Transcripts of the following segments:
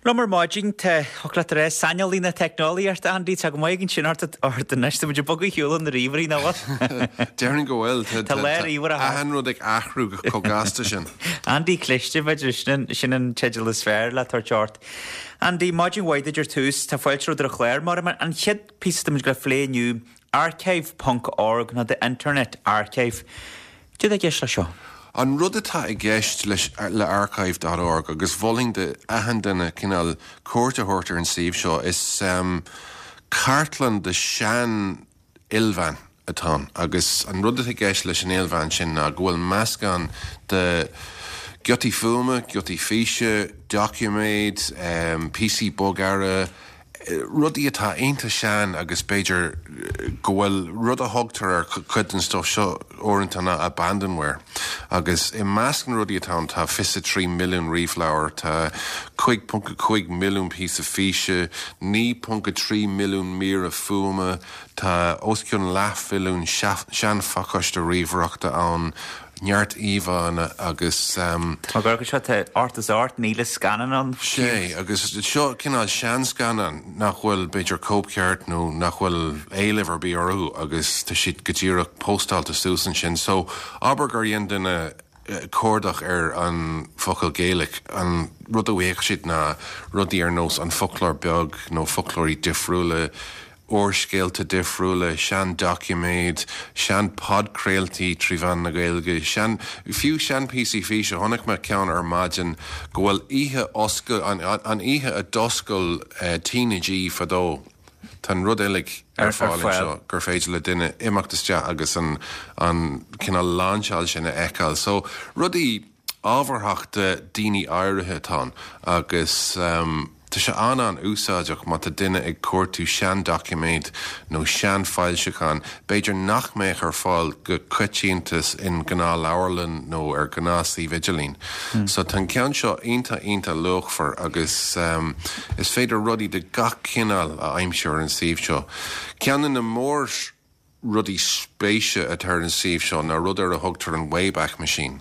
Liom ar maidin, tá, thiocfadh leat a rá, saineolaí na teicneolaíochta, Andy, tá go maith againn sin ort ort anois, tá muid ag bogadh ar shiúl ó na ríomhairí, nach bhfuil? Déarfainn go bhfuil, tá Tá lá ríomhaire thart. achan rud ag athrú chomh gasta sin. Andy Cliste, b'fhéidir, sin an, sin an teideal is fearr le tabhairt ort. Andy, maidin mhaith duit ar tús, tá fáilte romhat ar an chlár, mar an chéad píosa atá muid ag plé inniu, archive ponc org nó The Internet Archive. Cad é i gceist leis seo? An rud atá i gceist leis le archive dot org, agus mholfainn do achan duine cineál cuairt a thabhairt ar an suíomh seo, is cartlann de sean ilmheáin atá ann agus an rud atá i gceist leis an ilmheán sin ná go bhfuil meascán de ghiotaí fuaime, giotaí físe, doiciméid, píosaí bogearra, rudaí atá iontach sean agus b'fhéidir go bhfuil rud a thugtar ar chuid den stuif seo uaireanta ná abandonware agus i measc na rudaí atá ann tá 23 milliún ríomhleabhar, tá 5.5 milliún píosa físe, 9.3 milliún míre fuaime, tá os cionn leathmhilliún seanphacáiste ríomhaireachta ann, neart íomhánna agus. Tá go seo tá ort is 8,000 scannán ann. Sé, agus seo cineál seanscannán nach bhfuil b'fhéidir cóipcheart nó nach bhfuil éileamh ar bith orthu agus tá siad go díreach póstáilte suas ansin. So, abair gur dhein duine cuardach ar an focal Gaelic, an rud a bhfaigheadh siad ná rudaí ar nós an foclóir beag nó foclóirí difriúla, úrscéalta difriúla, sean-doiciméid, sean-podchraoltaí trí mheán na Gaeilge, sean, fiú sean-phíosaí físe. Chonaic mé ceann ar maidin go bhfuil oíche oscail, an, an oíche a d'oscail TnaG fadó. Tá an rud uilig ar fáil anseo gur féidir le duine imeacht isteach agus an, an cineál lainseáil sin a fheiceáil. So, rudaí ábharthach do daoine áirithe atá ann agus tá sé an-an-úsáideach má tá duine ag cuartú seandoiciméad nó seanfhoilseachán, b'fhéidir nach mbeadh ar fáil go coitianta in gnáthleabharlann nó ar ghnáthshuíomh idirlín. So tá an ceann seo iontach iontach luachmhar agus is féidir rudaí de gach cineál a aimsiú ar an suíomh seo. Ceann de na mór. rudaí spéise atá ar an suíomh seo ná rud ar a thugtar an Wayback Machine.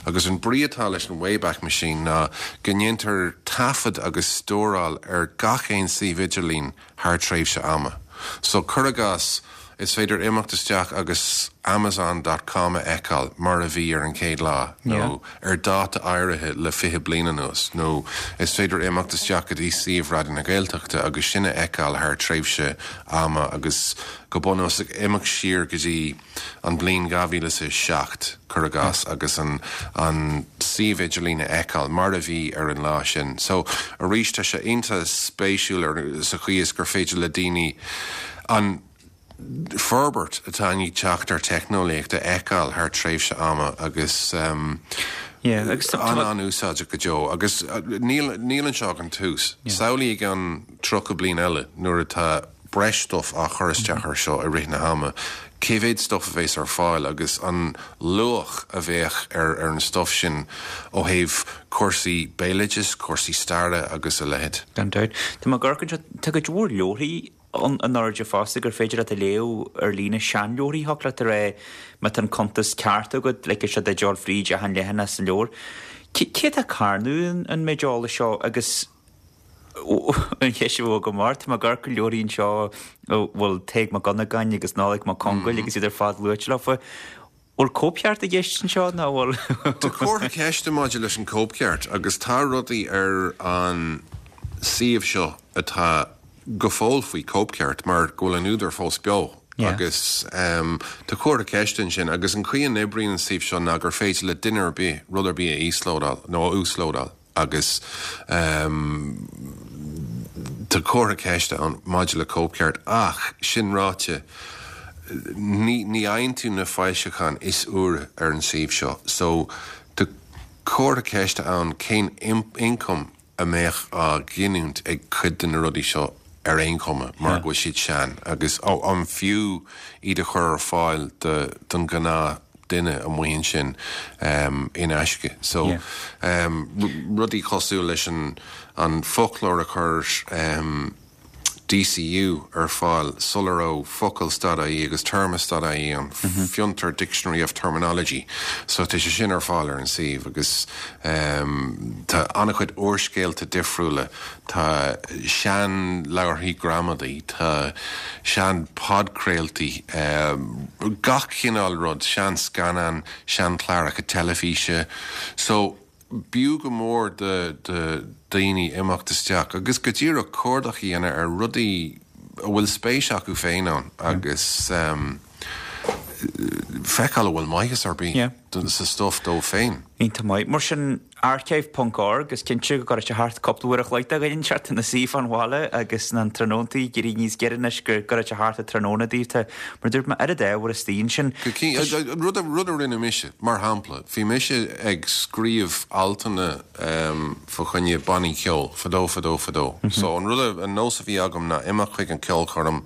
Agus an brí atá leis an Wayback Machine ná go ndéantar taifead agus stóráil ar gach aon suíomh idirlín thar tréimhse ama. So, cuir i gcás, is féidir imeacht isteach agus Amazon dot com a fheiceáil mar a bhí ar an chéad lá nó ar dáta áirithe le 20 bliain anuas nó is féidir imeacht isteach go dtí suíomh Raidió na Gaeltachta agus sin a fheiceáil thar tréimhse ama agus go bunúsach imeacht siar go dtí an bhliain 2007, cuir i gcás, agus an an suíomh idirlín a fheiceáil mar a bhí ar an lá sin. So, arís, tá sé iontach spéisiúil ar sa chaoi is gur féidir le daoine an forbairt atá i ndiaidh teacht ar teicneolaíocht a fheiceáil thar tréimhse ama agus an-an-úsáideach go deo. Agus níl níl anseo ach an tús. Samhlaigh i gceann 30 bliain eile nuair atá breis stuif á chur isteach ar seo i rith na hama, cé mhéad stuif a bheas ar fáil agus an luach a bheadh ar ar an stuif sin ó thaobh cúrsaí béaloidis, cúrsaí staire agus a leithéid. Gan dabht. Tá mé ag amharc anseo, tá cuid mhór leabharthaí ann in airde fosta gur féidir leat a léamh ar líne, seanleabharthaí, thiocfadh leat a rá má tá an cuntas ceart agat, ligfidh sé duit dul fríd achan leathanach san leabhar. Cé atá ag carnadh an méid eolais seo agus An cheist a bheadh agam ort, tá mé ag amharc ar leabharthaí anseo a bhfuil Tadhg Mac Dhonnagáin agus Nollaig Mac Congail agus iad ar fad luaite leofa. Bhfuil cóipcheart i gceist anseo nó bhfuil? Tá comhartha ceiste maidir leis an cóipcheart agus tá rudaí ar an suíomh seo atá go fóill faoi cóipcheart mar go bhfuil an údar fós beo agus tá comhartha ceiste ansin agus an chaoi a n-oibríonn an suíomh seo ná gur féidir le duine ar bith rud ar bith a íoslódáil nó a uaslódáil. Agus tá comhartha ceiste ann maidir le cóipcheart ach, sin ráite, ní ní fhaigheann tú na foilseacháin is úire ar an suíomh seo. So, tá comhartha ceiste ann cén ioncam a mbeadh á ghiniúint ag cuid de na rudaí seo ar aon chuma mar go bhfuil siad sean agus an fiú iad a chur ar fáil don ghnáth duine amuigh ansin in aisce. So, rudaí cosúil leis an an foclóir a chuir. DCU ar fáil sula raibh Focal dot ie agus Téarma dot ie an Fiontar Dictionary of Terminology so tá sé sin ar fáil ar an suíomh agus tá an-chuid úrscéalta difriúla, tá sean-leabharthaí gramadaí, tá sean-podchraoltaí, gach cineál rud, sean-scannáin, sean-chláracha teilifíse so. B'fhiú go mór do dhaoine imeacht isteach agus go díreach cuardach a dhéanamh ar rudaí a bhfuil spéis acu féin ann agus feiceáil an bhfuil maitheas ar bith sa stuif dóibh féin. Iontach maith. Mar sin, archive ponc org, is cinnte go gcuirfidh sé thart cúpla uair a chloig do dhuine inteacht ina suí fán bhaile agus na tráthnóntaí ag éirí níos giorra anois go gcuirfidh sé thart an tráthnóna daoibh. Tá, mar a dúirt mé, oiread ábhar istigh ansin. Go cinnte. Rud a rinne mise, mar shampla, bhí mise ag scríobh altanna fá choinne bannaí ceoil fadó fadó fadó. So an rud, an nós a bhí agam ná imeacht chuig an ceolchoirm,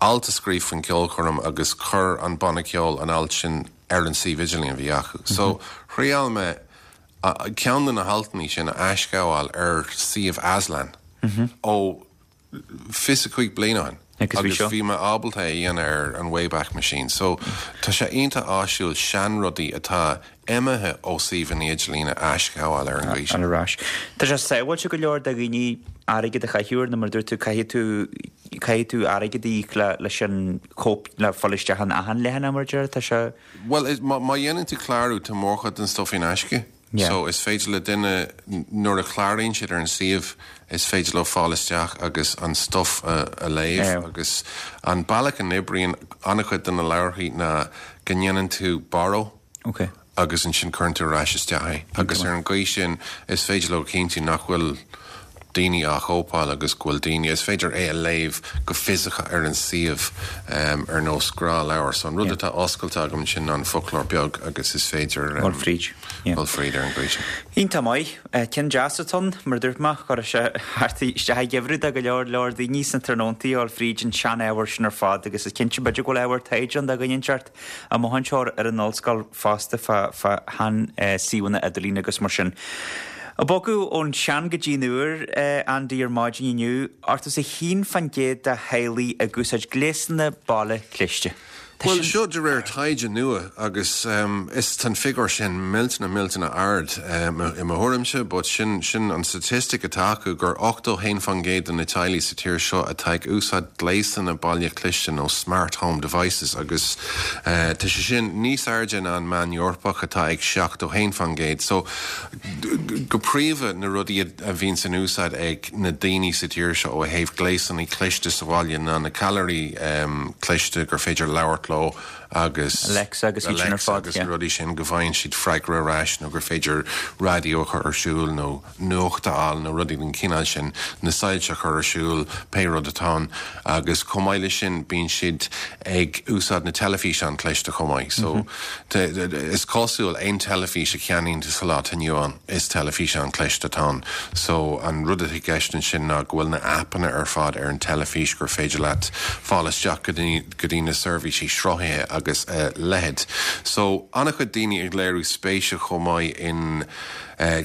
alt a scríobh faoin ceolchoirm agus chuir an banna ceoil an alt sin ar an suíomh idirlín a bhí acu. So thriail mé ceann de na haltanna sin a aisghabháil ar suíomh Aslan ó 25 bliain ó shin agus bhí mé ábalta é a dhéanamh ar an Wayback Machine. So tá sé iontach áisiúil seanrudaí atá imithe ó suíomhanna idirlín a aisghabháil ar an gcaoi sin. Ar ais. Tá sé sábháilte go leor do dhaoine airgead a chaitheamh air nó mar a dúirt tú caithfidh tú caithfidh tú airgead a íoc le leis an chóip le fáil isteach in achan leathanach mar a deir tá sé. Bhuel má dhéanann tú clárú tá mórchuid den stuif in aisce. So is féidir le duine, nuair a chláraíonn siad ar an suíomh, is féidir leo fáil isteach agus an stuif a léamh agus an bealach a n-oibríonn an-chuid de na leabharthaí ná go ndéanann tú borrow agus ansin cuireann tú ar ais isteach é agus ar an gcaoi sin is féidir leo cinntiú nach bhfuil daoine á chóipeáil agus go bhfuil daoine, is féidir é a léamh go fisiceach ar an suíomh ar nós gnáthleabhar. So an rud atá oscailte agam ansin ná an foclóir beag agus is féidir dul fríd. dul fríd ar an gcaoi sin. Iontach maith. Ceann deas atá ann, mar a dúirt mé, chuirfeadh sé thart isteach i ngeimhreadh do go leor leor daoine sna tráthnóntaí a dhul fríd an sean-ábhar sin ar fad agus is cinnte b'fhéidir go bhfuil ábhar taighde ann do dhuine inteacht amuigh anseo ar an ollscoil fosta fá shean suíomhanna idirlín agus mar sin. Ag bogadh ón sean go dtí an úr, Andy, ar maidin inniu, 81% de theaghlaigh ag úsáid gléasanna baile cliste. Tá Bhuel, sin. seo de réir taighde nua agus is tá an figiúr sin millteanach millteanach ard i mo thuairimse but sin sin an statistic atá acu gur 81% de na teaghlaigh sa tír seo atá ag úsáid gléasanna baile cliste nó smart home devices agus tá sé sin níos airde ná an meán Eorpach atá ag 71%. So go príomha na rudaí a bhíonns in úsáid ag na daoine sa tír seo ó thaobh gléasanna cliste sa bhaile ná na callairí cliste gur féidir labhairt leo agus Alexa agus iad sin ar fad, agus na rudaí sin go bhfaigheann siad freagra ar ais nó gur féidir raidió a chur ar siúl nó nuacht a fháil nó rudaí den chineál sin, na soilse a chur ar siúl, pé rud atá ann. Agus chomh maith leis sin bíonn siad ag úsáid na teilifíseáin cliste chomh maith. So is cosúil aon teilifís a cheannaíonn tú sa lá atá inniu ann, is teilifíseán cliste atá ann. So an rud atá i gceist ansin ná go bhfuil na aipeanna ar fad ar an teilifís gur féidir leat fáil isteach go dtí go dtí na seirbhísí sruthaithe agus a leithéid. So an-chuid daoine ag léiriú spéise chomh maith in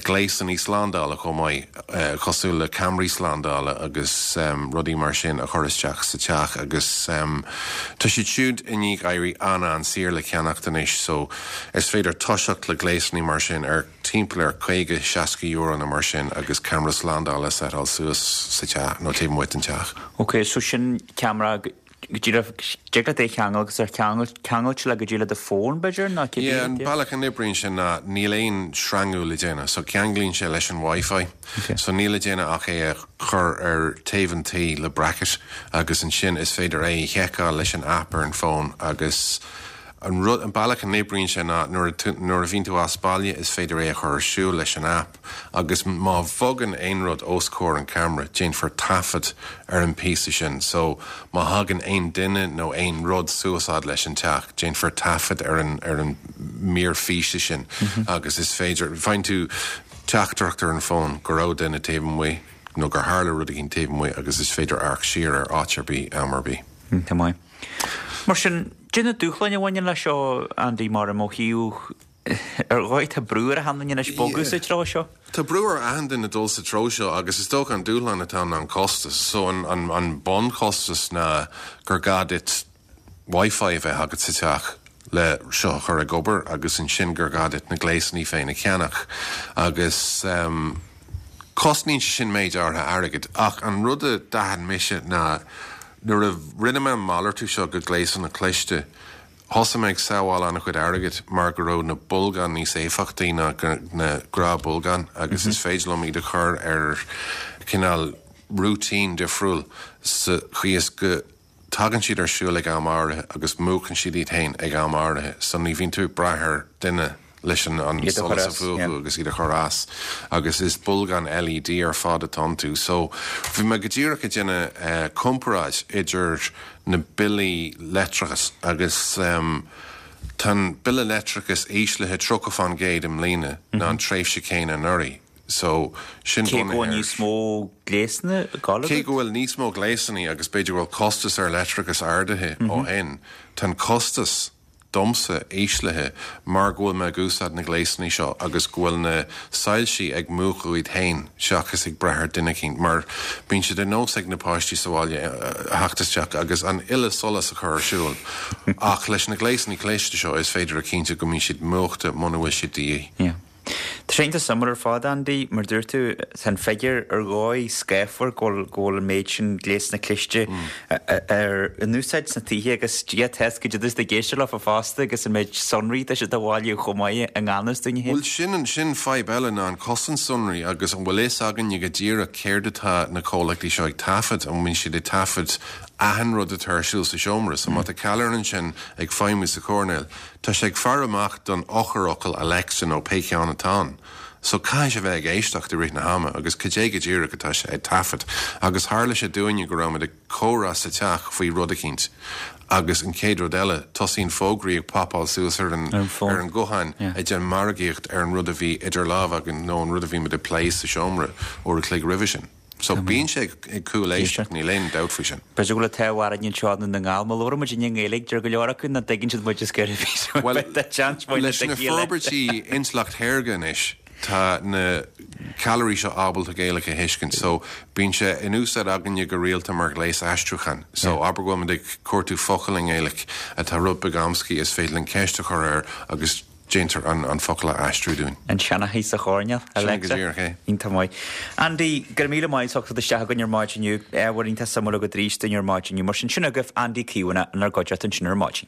gléasanna slándála chomh maith, cosúil le ceamaraí slándála agus rudaí mar sin a chur isteach sa teach agus tá siad siúd i ndiaidh éirí an-an-saor le ceannacht anois so is féidir toiseacht le gléasanna mar sin ar timpeall ar 50, 60 euro nó mar sin agus ceamara slándála a seiteáil suas sa teach nó taobh amuigh den teach. Ok, so sin ceamara Go díreach, dtig leat é a cheangal agus ar ceangailte le go dtí le do fón, b'fhéidir, nó cibé Yeah, an bealach a n-oibríonn sé ná níl aon sreangú le déanamh, so ceanglaíonn sé leis an Wi-Fi. So níl le déanamh ach é a chur ar taobh an tí le bracket agus ansin is féidir é a sheiceáil leis an app ar an bhfón agus an rud, an bealach a n-oibríonn sé ná nuair a, nuair a bhíonn tú as baile is féidir é a chur ar siúl leis an app. Agus má bhogann aon rud os comhair an ceamara, déanfar taifead ar an bpíosa sin. So, má thagann aon duine nó aon rud suas fhad leis an teach, déanfar taifead ar an, ar an mír físe sin agus is féidir, faigheann tú teachtaireacht ar an bhfón go raibh duine taobh amuigh nó gur tharla rud éigin taobh amuigh agus is féidir amharc siar ar áit ar bith, am ar bith. Iontach maith. Mar sin, cad é na dúshláin a bhaineann leis seo, Andy, mar i mo thaobh. Ar dhóigh tá brú ar achan duine anois bogadh sa treo seo. Tá brú ar achan duine dul sa treo seo agus is dócha an dúshlán atá ann ná an costas. So an an bunchostas ná gur gá duit Wi-Fi a bheith agat sa teach le seo a chur ag obair agus ansin gur gá duit na gléasanna féin a cheannach agus cosnaíonn sé sin méid áirithe airgid. Ach an rud a d'aithin mise ná nuair a rinne mé an malartú seo go gléasanna cliste, Thosaigh mé ag sábháil an-chuid airgid mar go raibh na bolgáin níos éifeachtaí ná na gnáthbholgáin agus is féidir liom iad a chur ar chineál routine difriúil sa chaoi is go tagann siad ar siúl ag am áirithe agus múchann siad iad féin ag am áirithe so ní bhíonn tú ag brath ar duine leis an solas a mhúchadh agus iad a chur as agus is bolgáin LED ar fad atá iontu. So bhí mé go díreach ag déanamh comparáid idir na billí leictreachais agus tá an bille leictreachais íslithe 30% i mbliana ná an tréimhse céanna anuraidh. So sin Cé go bhfuil níos mó gléasanna ag dul agat? Cé go bhfuil níos mó gléasanna agus b'fhéidir go bhfuil costas ar leictreachas ardaithe ó shin, tá an costas domsa íslithe mar go bhfuil mé ag úsáid na gléasanna seo agus go bhfuil na soilsí ag múchadh iad féin seachas ag brath ar duine eicínt mar bíonn sé de nós ag na páistí sa bhaile a theacht isteach agus an uile solas a chur ar siúl ach leis na gléasanna cliste seo is féidir a chinntiú go mbíonn siad múchta muna bhfuil siad de dhíth. Tá sé iontach suimiúil ar fad, Andy. Mar dúirt tú, tá an figiúr ar dhóigh scáfar go bhfuil go bhfuil an méid sin gléasanna cliste ar in úsáid sna tithe agus Dia atá go dtí ag éisteacht leofa fosta agus an méid sonraí atá siad a bhailiú chomh maith i ngan fhios dúinn féin. Bhuel sin an sin fadhb eile ná an cosaint sonraí agus an bhfuil fhios againne go díreach céard atá na comhlachtaí seo ag taifead, an mbíonn siad ag taifead achan rud atá ar siúl sa seomra. So má tá ceallra ansin ag feidhmiú sa choirnéal, Tá sé ag faire amach don eochairfhocal Alexa nó pé ceann atá ann. So caithfidh sé bheith ag éisteacht i rith na hama agus cad é go díreach atá sé ag taifead. Agus tharla sé dúinne go raibh muid ag comhrá sa teach faoi rud eicínt agus an chéad rud eile tosaíonn fógraí ag popáil suas ar an ar an ghuthán ag déanamh margaíocht ar an rud a bhí idir lámha againn nó an rud a bhí muid ag plé sa seomra uair a chloig roimhe sin. So bíonn sé ag cúléisteacht, níl aon dabht faoi sin. B'fhéidir go bhfuil an t-ádh orainn anseo i nDún na nGall, má labhrann muid i nGaeilge, deir go leor acu nach dtuigeann siad muid is gurb í so Bhuel, tá seans maith leis na forbairtí intleacht shaorga anois, tá na ceallraí seo ábalta Gaeilge a thuiscint. So bíonn sé in úsáid againne go rialta mar ghléas aistriúcháin. So abair go bhfuil muid ag cuartú focal i nGaeilge atá rud beag amscaí, is féidir linn ceist a chur air agus Déantar an focal a aistriú dúinn. An seanchaí sa choirnéal, Alexa. Sin go díreach é. Iontach maith. Andy, go raibh míle maith as ucht teacht isteach chugainn ar maidin inniu. Ábhar iontach suimiúil agat arís dúinn ar maidin inniu. Mar sin, sin agaibh Andy Caomhánach inár gcuideachta ansin ar maidin.